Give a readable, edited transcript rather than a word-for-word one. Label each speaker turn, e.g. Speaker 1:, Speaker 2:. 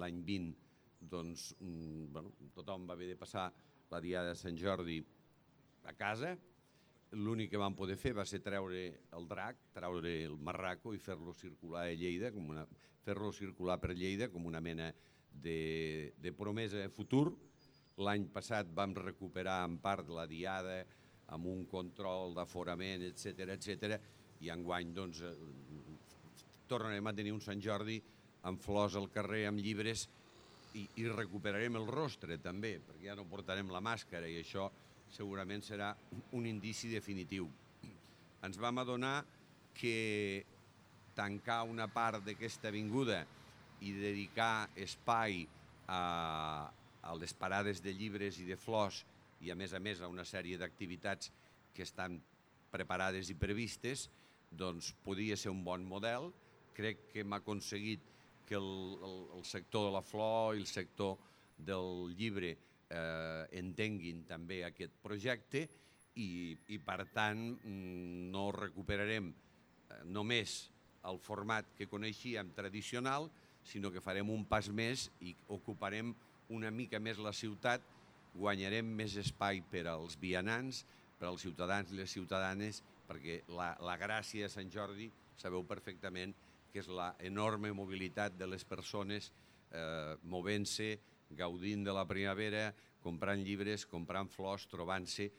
Speaker 1: l'any 20 doncs, tothom va haver de passar la Diada de Sant Jordi a casa. L'únic que vam poder fer va ser treure el drac, treure el marraco i fer-lo circular a Lleida, fer-lo circular per Lleida com una mena de promesa de futur. L'any passat vam recuperar en part la Diada amb un control d'aforament, etc. I enguany doncs, tornarem a tenir un Sant Jordi amb flors al carrer, amb llibres, i recuperarem el rostre també, perquè ja no portarem la màscara i això segurament serà un indici definitiu. Ens vam adonar que tancar una part d'aquesta avinguda i dedicar espai a les parades de llibres i de flors i a més a una sèrie d'activitats que estan preparades i previstes, doncs podia ser un bon model. Crec que hem aconseguit que el sector de la flor i el sector del llibre entenguin també aquest projecte i per tant no recuperarem només el format que coneixíem tradicional, sinó que farem un pas més i ocuparem una mica més la ciutat, guanyarem més espai per als vianants, per als ciutadans i les ciutadanes, perquè la gràcia de Sant Jordi sabeu perfectament que és l'enorme mobilitat de les persones movent-se, gaudint de la primavera, comprant llibres, comprant flors, trobant-se